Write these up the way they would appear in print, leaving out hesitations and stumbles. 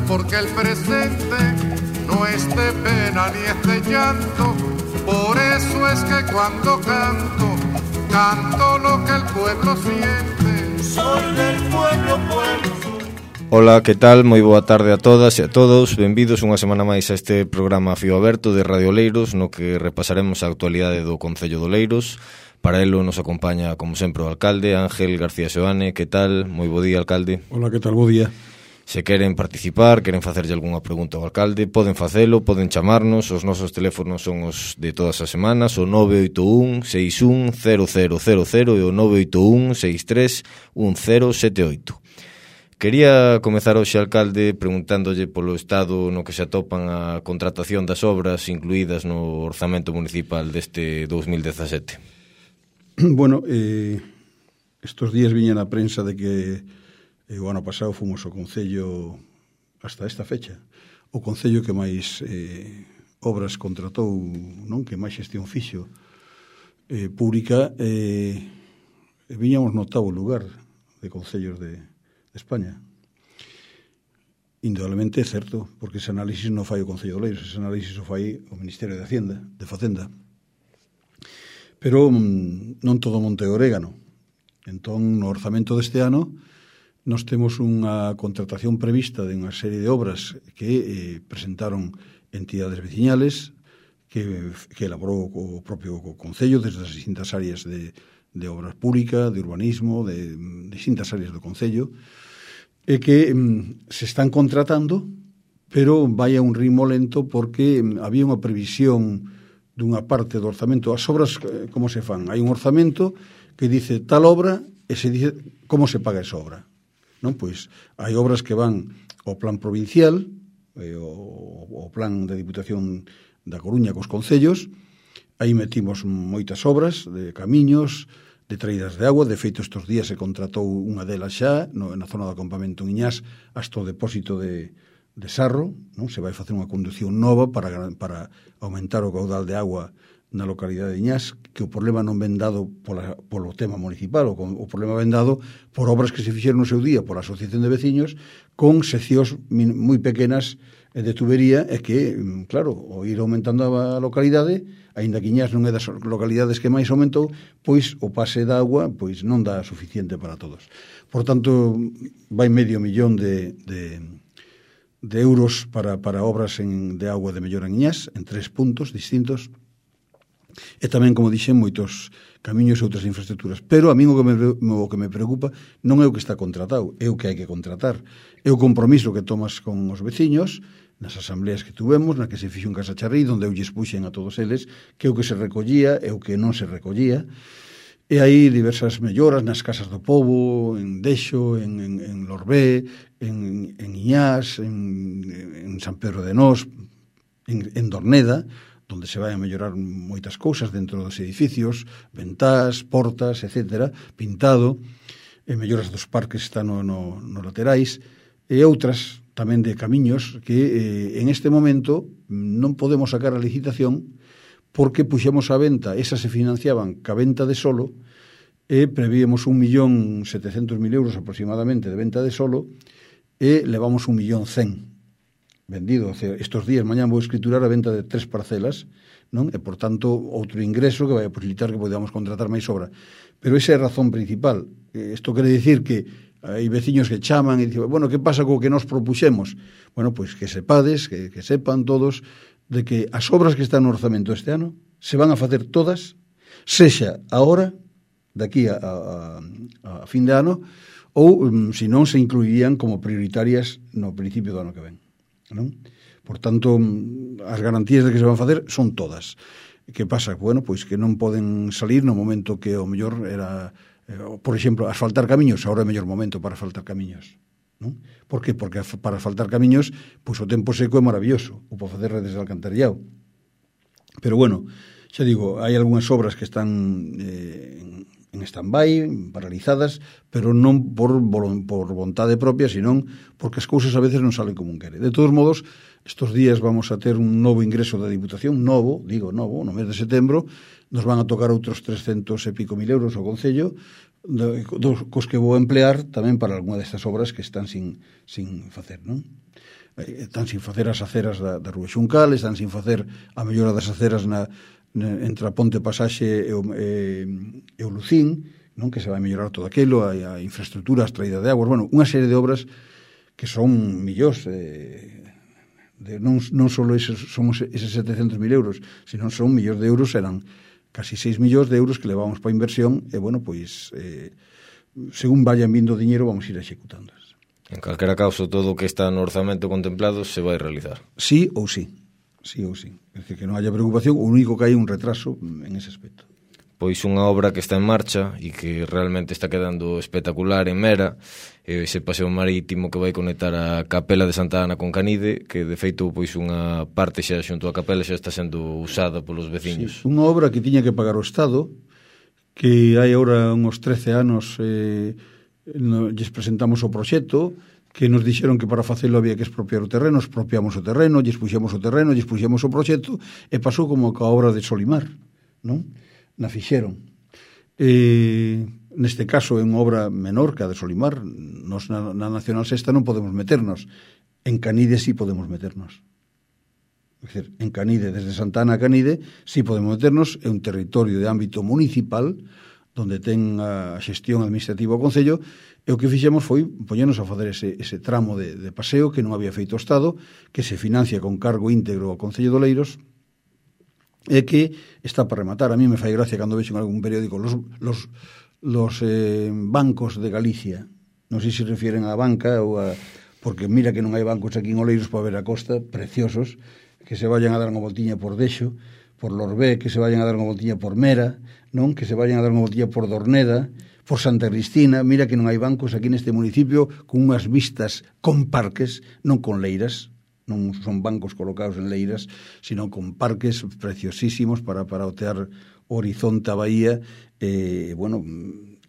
porque el presente no es de pena ni es de llanto. Por eso es que cuando canto, canto lo que el pueblo siente. Soy del pueblo, pueblo. Ola, que tal? Moi boa tarde a todas e a todos. Benvidos unha semana máis a este programa Fío Aberto de Radio Oleiros, no que repasaremos a actualidade do Concello de Oleiros. Para elo nos acompaña, como sempre, o alcalde Ángel García Seoane. Que tal? Moi bo día, alcalde. Ola, que tal? Bo día. Se queren participar, queren facerlle algunha pregunta ao alcalde, poden facelo, poden chamarnos. Os nosos teléfonos son os de todas as semanas, o 981 61 0000 e o 981 63 1078. Quería comezar hoxe, alcalde, preguntándolle polo estado no que se atopan a contratación das obras incluídas no orzamento municipal deste 2017. Bueno, estos días viña na prensa de que o ano pasado fomos o Concello, hasta esta fecha, o Concello que máis obras contratou, non, que máis xestión fixo pública, viñamos no octavo lugar de concellos de España. Indudablemente é certo, porque ese análisis non fai o Concello de Oleiros, ese análisis o fai o Ministerio de Hacienda, de Facenda. Pero non todo monte orégano. Entón, no orzamento deste ano, nós temos unha contratación prevista de unha serie de obras que presentaron entidades veciñales, que elaborou o propio Concello desde as distintas áreas de obras públicas, de urbanismo, de distintas áreas do Concello, e que se están contratando, pero vai a un ritmo lento porque había unha previsión dunha parte do orzamento. As obras, como se fan? Hai un orzamento que dice tal obra e se dice como se paga esa obra. Non? Pois hai obras que van ao plan provincial, o plan de Diputación da Coruña cos concellos. Aí metimos moitas obras de camiños, de traídas de agua. De feito, estes días se contratou unha delas xa na zona do acampamento en Iñás hasta o depósito de Sarro, non? Se vai facer unha condución nova para aumentar o caudal de agua na localidade de Iñás, que o problema non ven dado polo tema municipal, o problema ven dado por obras que se fixeron no seu día pola Asociación de Veciños con seccións moi pequenas de tubería, e que, claro, o ir aumentando a localidade, aínda que Iñás non é das localidades que máis aumentou, pois o pase de agua pois non dá suficiente para todos. Por tanto, vai medio millón de euros para obras de agua de mellora en Iñás, en 3 puntos distintos, e tamén, como dixen, moitos camiños e outras infraestructuras. Pero a mí o que me preocupa non é o que está contratado, é o que hai que contratar. É o compromiso que tomas con os veciños nas asambleas que tuvemos, na que se fixo en Casa Charrí, onde eu lles puxen a todos eles que o que se recollía e o que non se recollía. E hai diversas melloras nas casas do pobo, en Dexo, en Lorbé, en Iñás, en San Pedro de Nós, en Dorneda, onde se vai a mellorar moitas cousas dentro dos edificios, ventás, portas, etcétera, pintado, e melloras dos parques están no laterais, e outras tamén de camiños que en este momento non podemos sacar a licitación porque puxemos a venta, esas se financiaban ca venta de solo, e prevíamos 1.700.000 euros aproximadamente de venta de solo, e levamos 1.100.000 vendido. Estos días, mañá vou escriturar a venta de 3 parcelas, non? E, por tanto, outro ingreso que vai a posibilitar que podamos contratar máis obra. Pero esa é a razón principal. Isto quere dicir que hai veciños que chaman e dicen, bueno, que pasa co que nos propuxemos? Bueno, pois que sepades, que sepan todos, de que as obras que están no orzamento este ano se van a facer todas, sexa ahora, daqui a fin de ano, ou, se non, se incluirían como prioritarias no principio do ano que ven. Non? Por tanto, as garantías de que se van facer son todas. Que pasa? Bueno, pois que non poden salir no momento que o mellor era, por exemplo, asfaltar camiños. Ahora é o mellor momento para asfaltar camiños, non? Por que? Porque para asfaltar camiños, pois o tempo seco é maravilloso, ou para facer redes de alcantarillado. Pero bueno, xa digo, hai algunhas obras que están en stand-by, paralizadas, pero non por vontade propia, senón porque as cousas a veces non salen como un quere. De todos modos, estos días vamos a ter un novo ingreso da Diputación, novo, no mes de setembro, nos van a tocar outros 300 e pico mil euros ao Concello, cos que vou emplear tamén para algunha destas obras que están sin facer, non? están sin facer as aceras da Rúa Xuncal, están sin facer a mellora das aceras entre a Ponte Pasaxe e o Lucín, non, que se vai mellorar todo aquilo, a infraestructura, a traída de aguas, bueno, unha serie de obras que son millóns, non só somos eses 700.000 euros, sino son millóns de euros, eran casi 6 millóns de euros que levamos para inversión, e bueno, pois según vayan vindo diñeiro vamos ir executando. En calquera caso, todo o que está no orzamento contemplado se vai realizar. Sí ou sí. Sí ou sí. É dicir, que non haya preocupación, o único que hai un retraso en ese aspecto. Pois unha obra que está en marcha e que realmente está quedando espectacular en Mera, ese paseo marítimo que vai conectar a Capela de Santa Ana con Canide, que de feito pois unha parte xa xunto a Capela xa está sendo usada polos veciños. Sí, unha obra que tiña que pagar o Estado, que hai agora uns 13 anos lles presentamos o proxecto, que nos dixeron que para facelo había que expropiar o terreno, expropiamos o terreno, lles puxemos o terreno, lles puxemos o proxecto, e pasou como ca obra de Solimar, non? Na fixeron. Neste caso é unha obra menor que a de Solimar, nos na Nacional Sexta non podemos meternos, en Canide sí podemos meternos. É dicir, en Canide, desde Santana a Canide, sí podemos meternos, é un territorio de ámbito municipal, donde ten a xestión administrativa o Concello, e o que fixemos foi poñernos a fazer ese tramo de paseo que non había feito o Estado, que se financia con cargo íntegro ao Concello de Oleiros, e que está para rematar. A mí me fai gracia cando vexo en algún periódico los bancos de Galicia, non sei se refieren á banca ou a... porque mira que non hai bancos aquí en Oleiros para ver a costa, preciosos, que se vayan a dar unha voltiña por Dexo, por Lorbé, que se vayan a dar unha voltiña por Mera, non, que se vayan a dar unha voltiña por Dorneda, por Santa Cristina. Mira que non hai bancos aquí neste municipio con unhas vistas con parques, non con leiras, non son bancos colocados en leiras, sino con parques preciosísimos para otear o horizonte a bahía. Bueno,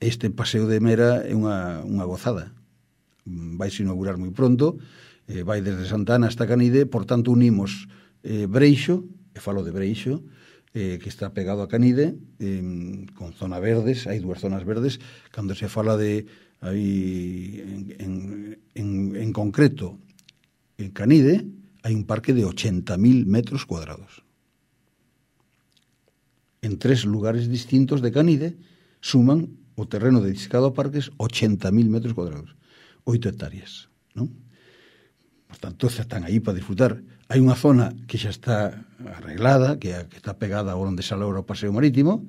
este paseo de Mera é unha gozada. Vaise inaugurar moi pronto, vai desde Santana hasta Canide, por tanto unimos Breixo, e falo de Breixo, que está pegado a Canide, con zona verdes, hai dúas zonas verdes, cando se fala de en concreto en Canide hai un parque de 80.000 metros cuadrados. En 3 lugares distintos de Canide suman o terreno dedicado a parques 80.000 metros cuadrados, 8 hectáreas, non? Por tanto, están aí para disfrutar. Hai unha zona que xa está arreglada, que está pegada a onde sale o paseo marítimo.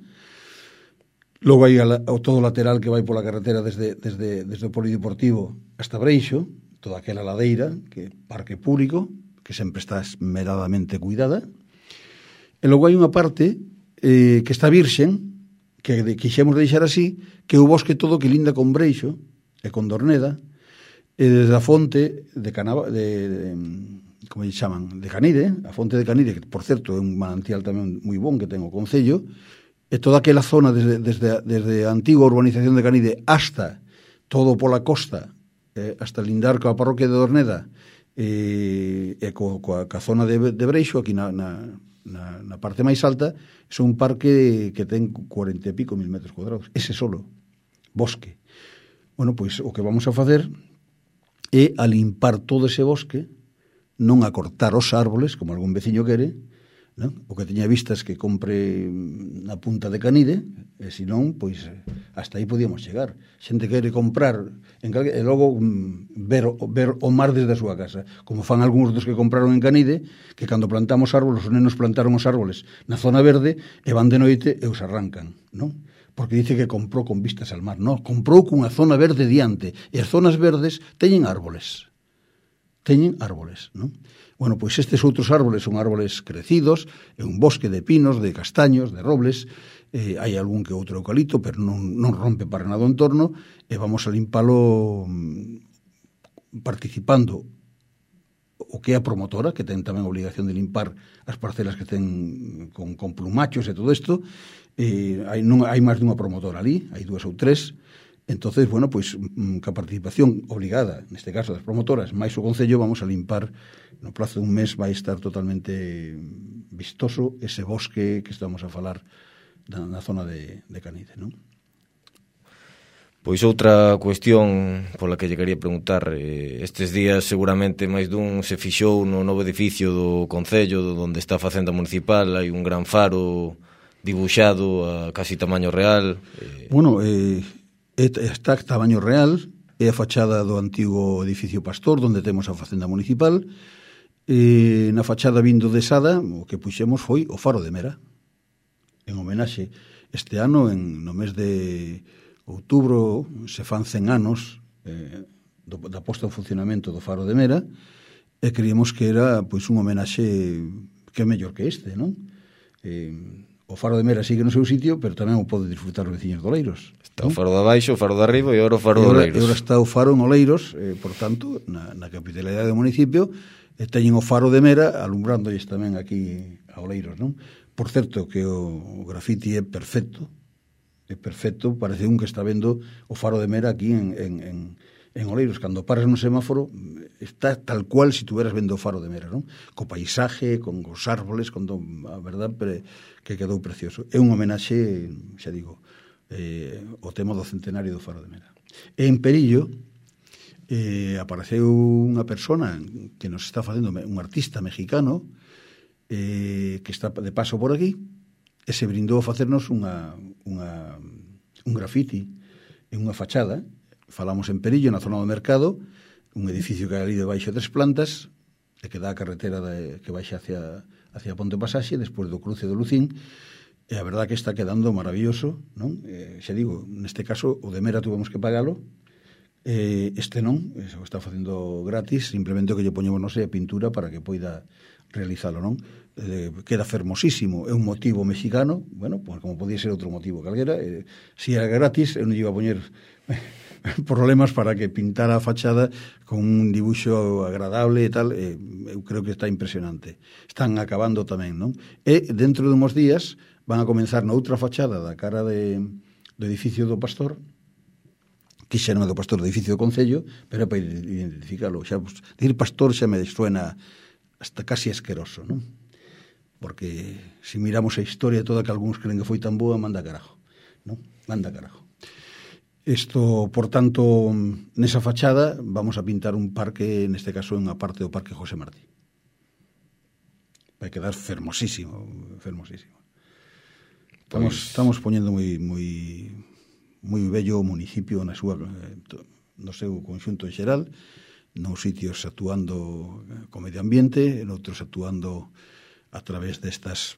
Logo hai todo o lateral que vai pola carretera desde o polideportivo hasta Breixo, toda aquela ladeira, que é parque público, que sempre está esmeradamente cuidada. E logo hai unha parte que está virxen, que quixemos deixar así, que é o bosque todo que linda con Breixo e con Dorneda, e desde a fonte como lle chaman, de Canide, a fonte de Canide, que por certo é un manantial tamén moi bon que ten o Concello, e toda aquela zona desde a antiga urbanización de Canide hasta todo pola costa, hasta lindar coa parroquia de Dorneda e coa zona de Breixo, aquí na parte máis alta, é un parque que ten 40 e pico mil metros cuadrados, ese solo, bosque. Bueno, pois o que vamos a facer é a limpar todo ese bosque, non a cortar os árboles, como algún veciño quere, non? O que teña vistas que compre na punta de Canide, e senón, pois, hasta aí podíamos chegar. Xente quere comprar, e logo ver o mar desde a súa casa, como fan algúns dos que compraron en Canide, que cando plantamos árboles, os nenos plantaron os árboles na zona verde, e van de noite e os arrancan, non? Porque dice que comprou con vistas al mar. Non, comprou cunha zona verde diante, e as zonas verdes teñen árboles. Non? Bueno, pois estes outros árboles son árboles crecidos, é un bosque de pinos, de castaños, de robles, hai algún que outro eucalipto, pero non rompe para nada o entorno, e vamos a limpalo participando o que é a promotora, que ten tamén a obligación de limpar as parcelas que ten con plumachos e todo isto. Hai máis dunha promotora ali, hai 2 ou 3. Entonces, bueno, pois ca participación obligada, neste caso das promotoras, máis o Concello, vamos a limpar, no plazo de un mes vai estar totalmente vistoso ese bosque que estamos a falar na zona de Canide, non? Pois outra cuestión pola que lle quería preguntar, estes días seguramente máis dun se fixou no novo edificio do Concello onde está a Facenda Municipal, hai un gran faro dibuixado a casi tamaño real. Bueno, está a tamaño real, é a fachada do antigo edificio Pastor onde temos a Facenda Municipal. Na fachada vindo de Sada o que puxemos foi o faro de Mera en homenaxe este ano no mes de outubro se fan 100 anos da posta en funcionamento do faro de Mera e creímos que era pois un homenaxe que é mellor que este, non? O faro de Mera sigue no seu sitio, pero tamén o pode disfrutar os veciños de Oleiros. Está o faro de abaixo, o faro de arriba e agora o faro de Oleiros. E agora está o faro en Oleiros, por tanto, na capitalidade do municipio, teñen o faro de Mera alumbrándoles tamén aquí a Oleiros, non? Por certo, que o grafiti é perfecto, parece un que está vendo o faro de Mera aquí en Oleiros. Cando paras no semáforo, está tal cual si tuveras vendo o faro de Mera, non? Co paisaje, con os árboles, a verdad, que quedou precioso. É un homenaxe, xa digo, o tema do centenario do faro de Mera. E en Perillo apareceu unha persona que nos está facendo, un artista mexicano que está de paso por aquí e se brindou a facernos un grafiti en unha fachada. Falamos en Perillo, na zona do mercado, un edificio que hai ali debaixo 3 plantas e que dá a carretera que baixa hacia Ponte Pasaxe despois do cruce do Lucín. E a verdad que está quedando maravilloso, non? Xa digo, neste caso o de Mera tuvemos que pagalo. Este non, o está facendo gratis, simplemente o que lle poñemos, non sei, a pintura para que poida realizalo, non? Queda fermosísimo, é un motivo mexicano, bueno, pues como podía ser outro motivo calquera, si era gratis, eu non lle iba a poñer problemas para que pintara a fachada con un dibuixo agradable e tal, eu creo que está impresionante. Están acabando tamén, non? E dentro de uns días van a comenzar na outra fachada da cara do edificio do Pastor, que xa non é do Pastor, do edificio do Concello, pero é para identificarlo. Xa, decir Pastor xa me suena hasta casi asqueroso, non? Porque se miramos a historia toda que algúns creen que foi tan boa, manda carajo, non? Manda carajo. Isto, por tanto, nesa fachada vamos a pintar un parque, neste caso unha parte do Parque José Martí. Vai quedar fermosísimo, fermosísimo. Estamos poñendo moi bello o municipio no seu conxunto en xeral, nos sitios actuando co medio ambiente, noutros actuando a través destes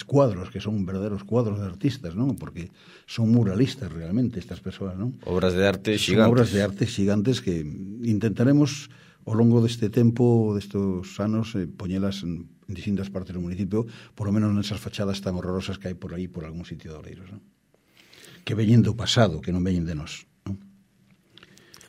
cuadros que son verdaderos cuadros de artistas, non? Porque son muralistas realmente estas persoas, non? Obras de arte gigantes. Son obras de arte gigantes que intentaremos ao longo deste tempo, destes anos, poñelas en distintas partes do municipio, por lo menos nesas fachadas tan horrorosas que hai por aí, por algún sitio de Oleiros, non? Que veñen do pasado, que non veñen de nós, non?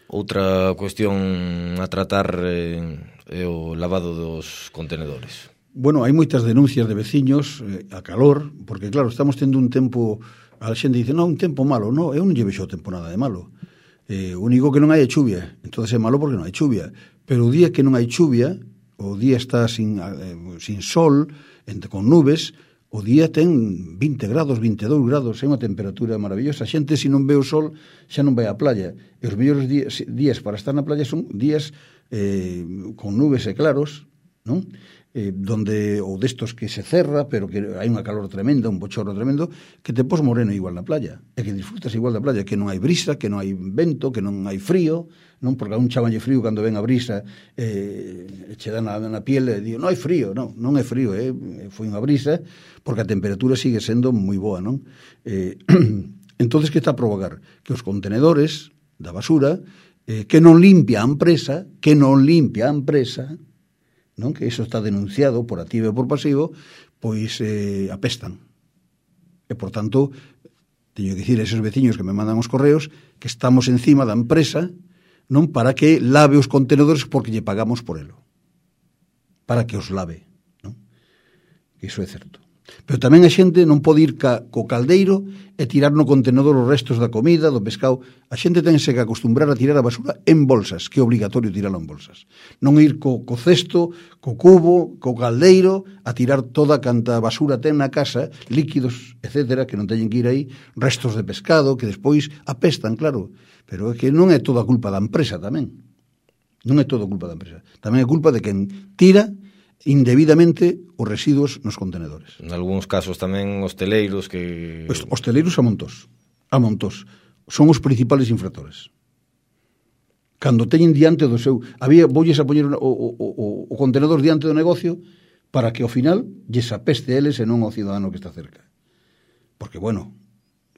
Outra cuestión a tratar é o lavado dos contenedores. Bueno, hai moitas denuncias de veciños a calor, porque claro, estamos tendo un tempo, a xente dice, non, un tempo malo, non, eu non lle vexo o tempo nada de malo. O único que non hai é chuvia, entonces é malo porque non hai chuvia, pero o día que non hai chuvia, o día está sin sol, con nubes, o día ten 20 grados, 22 grados, é unha temperatura maravillosa. A xente, se non ve o sol, xa non vai á playa. E os mellores días para estar na playa son días con nubes e claros, non? Donde, ou destos que se cerra, pero que hai unha calor tremenda, un bochorno tremendo, que te pos moreno igual na playa, e que disfrutas igual da playa, que non hai brisa, que non hai vento, que non hai frío, non? Porque a un chavalle frío cando ven a brisa che dá na piel e digo, non hai frío, non é frío, foi unha brisa, porque a temperatura sigue sendo moi boa, non? Entonces, que está a provocar? Que os contenedores da basura, que non limpia a empresa, non? Que iso está denunciado por activo e por pasivo, pois apestan. E, por tanto, teño que dicir a esos veciños que me mandan os correos que estamos encima da empresa, non para que lave os contenedores porque lle pagamos por elo. Para que os lave, non? Que iso é certo. Pero tamén a xente non pode ir co caldeiro e tirar no contenedor os restos da comida, do pescado. A xente tense que acostumbrar a tirar a basura en bolsas, que é obrigatorio tiralo en bolsas. Non ir co cesto, co cubo, co caldeiro, a tirar toda canta basura ten na casa, líquidos, etcétera, que non teñen que ir aí, restos de pescado, que despois apestan, claro. Pero é que non é toda culpa da empresa tamén. Non é toda culpa da empresa. Tamén é culpa de quen tira indebidamente os residuos nos contenedores. En algúns casos tamén hosteleiros que... Pues, hosteleiros a montós. Son os principales infractores. Cando teñen diante do seu... Voulles a poñer o contenedor diante do negocio para que ao final lles apeste a eles e non ao cidadano que está cerca. Porque, bueno,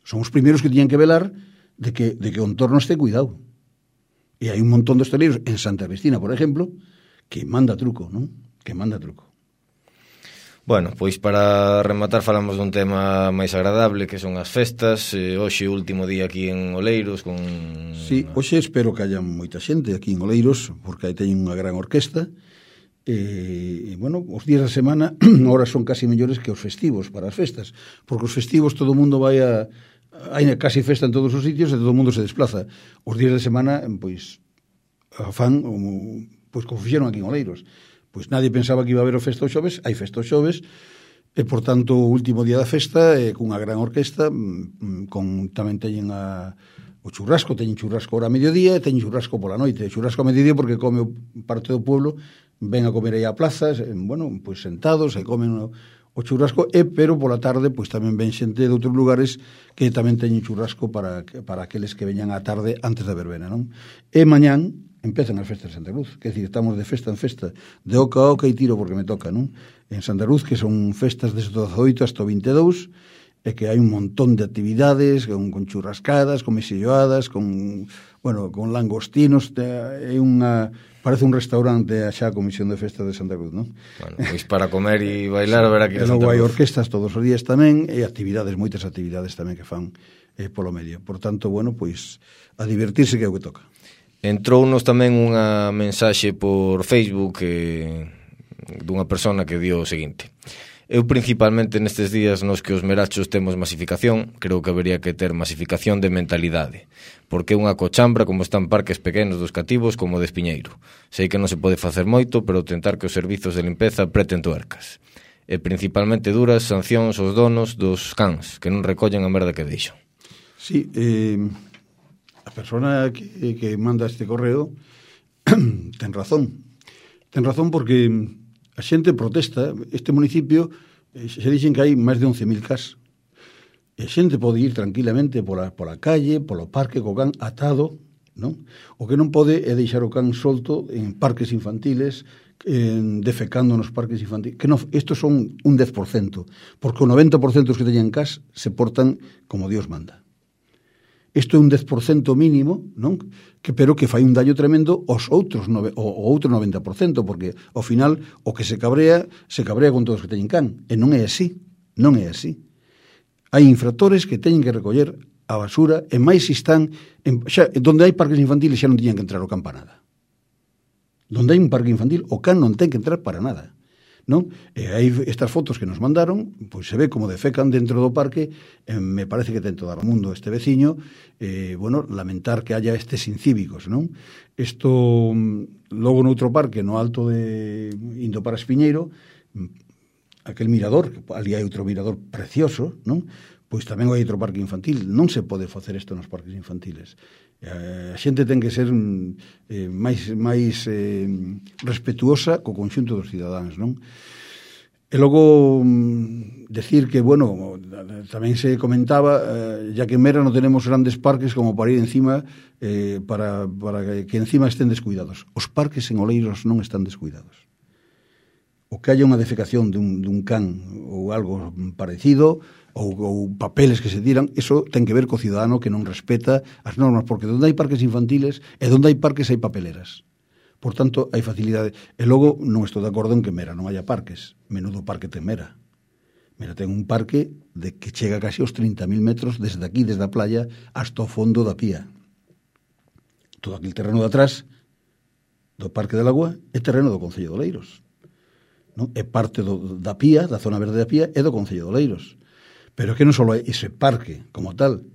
son os primeiros que tiñan que velar de que o entorno este cuidado. E hai un montón de hosteleiros en Santa Cristina, por exemplo, que manda truco, non? Que manda truco. Bueno, pois para rematar falamos dun tema máis agradable, que son as festas. Hoxe o último día aquí en Oleiros con... Sí, hoxe espero que haya moita xente aquí en Oleiros, porque aí teñen unha gran orquesta. Bueno, os días da semana ahora son casi mellores que os festivos para as festas, porque os festivos todo o mundo vai a... Hai casi festa en todos os sitios e todo o mundo se desplaza. Os días de semana, pois, fan pois, como fixeron aquí en Oleiros. Pois nadie pensaba que iba a haber o festa o xoves, hai festa o xoves, e, por tanto, o último día da festa, cunha gran orquesta, tamén teñen o churrasco, teñen churrasco ahora a mediodía, e teñen churrasco pola noite. Churrasco a mediodía porque come parte do pueblo, ven a comer aí a plazas, bueno, pois sentados, e comen o churrasco, pero pola tarde, pois tamén ven xente de outros lugares que tamén teñen churrasco para aqueles que veñan á tarde antes da verbena, non? E mañán empezan as festas de Santa Cruz, que é dicir, estamos de festa en festa, de oca a oca e tiro porque me toca, non? En Santa Cruz, que son festas desde o 18 hasta o 22, e que hai un montón de actividades, con churrascadas, con mesilloadas, con langostinos, parece un restaurante xa a Comisión de Festas de Santa Cruz, non? Bueno, pois para comer e bailar a ver aquí a Santa Cruz. E logo hai orquestas todos os días tamén, e actividades, moitas actividades tamén que fan polo medio. Por tanto, bueno, pois a divertirse que é o que toca. Entrounos tamén unha mensaxe por Facebook dunha persona que dio o seguinte: eu principalmente nestes días nos que os merachos temos masificación, creo que habería que ter masificación de mentalidade, porque é unha cochambra como están parques pequenos dos cativos como de Espiñeiro. Sei que non se pode facer moito, pero tentar que os servizos de limpeza apreten tuercas. E principalmente duras sancións aos donos dos cans, que non recollen a merda que deixan. Sí, a persona que manda este correo ten razón porque a xente protesta. Este municipio se dixen que hai máis de 11.000 cas, e a xente pode ir tranquilamente pola calle, polo parque co can atado, non? O que non pode é deixar o can solto en parques infantiles, defecando nos parques infantiles, que non, estos son un 10%, porque o 90% dos que teñen cas se portan como Dios manda. Isto é un 10% mínimo, non? Pero que fai un daño tremendo aos outros, o outro 90%, porque ao final o que se cabrea con todos os que teñen can, e non é así, non é así. Hai infractores que teñen que recoller a basura, e máis se están donde hai parques infantiles xa non tiñan que entrar o can para nada. Donde hai un parque infantil, o can non ten que entrar para nada, non? E aí estas fotos que nos mandaron, pois se ve como defecan dentro do parque. Me parece que ten todo o mundo este veciño, bueno, lamentar que haya estes incívicos, non? Isto, logo noutro parque, no alto de indo para Espiñeiro, aquel mirador, ali hai outro mirador precioso, non? Pois tamén hai outro parque infantil. Non se pode facer isto nos parques infantiles. A xente ten que ser máis respetuosa co conxunto dos cidadáns, non? E logo decir que, bueno, tamén se comentaba, ya que en Mera non tenemos grandes parques como para ir encima, para que encima estén descuidados. Os parques en Oleiros non están descuidados. O que haya unha defecación dun can ou algo parecido, ou papeles que se tiran, eso ten que ver co cidadano que non respeta as normas, porque onde hai parques infantiles e onde hai parques hai papeleras. Por tanto, hai facilidade. E logo non estou de acordo en que Mera non haya parques. Menudo parque ten Mera. Mera ten un parque que chega casi aos 30.000 metros desde aquí, desde a playa, hasta o fondo da pía. Todo aquel terreno de atrás do Parque de Lagua é terreno do Concello de Oleiros. non? É parte da Pía, da zona verde da Pía, e do Concello de Oleiros. Pero que non só é ese parque como tal,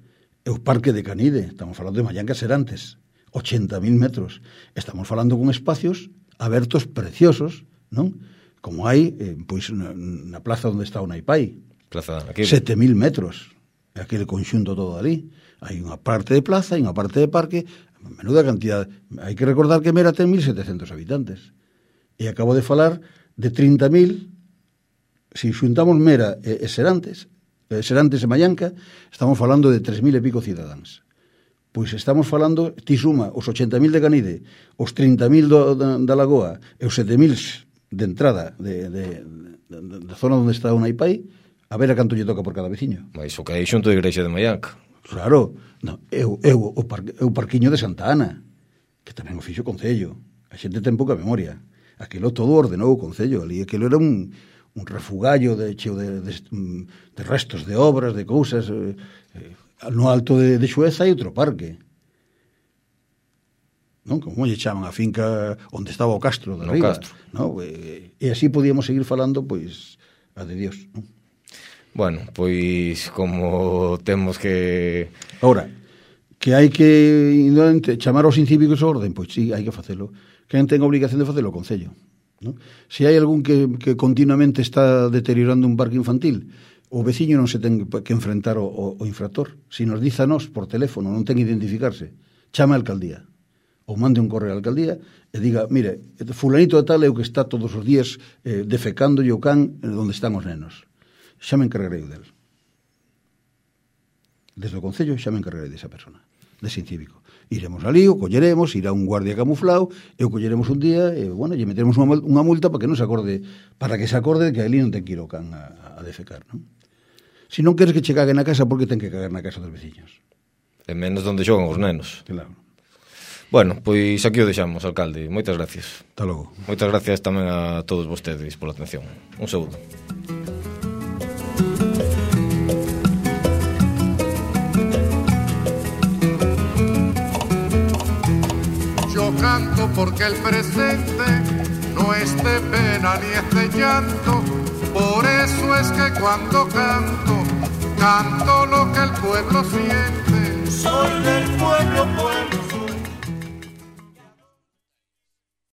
é o parque de Canide, estamos falando de Mallancas Serantes, 80.000 metros. Estamos falando con espacios abertos preciosos, non? Como hai pois na plaza onde está o Naipai. Plaza aquí. 7.000 metros. Aquele conxunto todo ali. Hai unha parte de plaza e unha parte de parque, menuda cantidad. Hai que recordar que Mera ten 1.700 habitantes. E acabo de falar de 30.000. Se xuntamos Mera e Serantes e Mallanca, estamos falando de 3.000 e pico cidadáns. Pois estamos falando, ti suma os 80.000 de Canide, os 30.000 da Lagoa e os 7.000 de entrada da zona onde está o Naipai, a ver a canto lle toca por cada veciño. Mais o que hai xunto da igrexa de Mallanca. Claro, no, o parquiño de Santa Ana, que tamén o fixo o Concello. A xente ten pouca memoria. Aquilo todo ordenou o Concello. Ali aquilo era un refugallo cheo de restos de obras, de cousas. No alto de Xueza hai outro parque. Non? Como lle chaman a finca onde estaba o Castro de Riba. Castro. No? E así podíamos seguir falando, pois, a de Dios, non? Bueno, pois como temos que... Ahora, que hai que chamar aos incívicos a orden, pois sí, hai que facelo. Quen ten a obligación de facelo o Concello, non? Se hai algún que continuamente está deteriorando un parque infantil, o veciño non se ten que enfrentar o infractor. Se nos diz a nós por teléfono, non ten que identificarse, chama a alcaldía ou mande un correo á alcaldía e diga, mire, fulanito de tal é o que está todos os días defecando o can onde están os nenos. Xa me encargarei del. Desde o Concello xa me encargarei desa persona, dese incívico. Iremos ali, o colleremos, irá un guardia camuflado, e o colleremos un día, e, bueno, lle meteremos unha multa para que non se acorde, para que se acorde de que ali non ten que ir o can a defecar, non? Se non queres que che cague na casa, por que ten que cagar na casa dos veciños? E menos onde xogan os nenos. Claro. Bueno, pois aquí o deixamos, alcalde. Moitas gracias. Hasta logo. Moitas gracias tamén a todos vostedes pola atención. Un saúdo. Yo canto porque el presente no es de pena ni es de llanto. Por eso es que cuando canto, canto lo que el pueblo siente. Soy del pueblo, pueblo.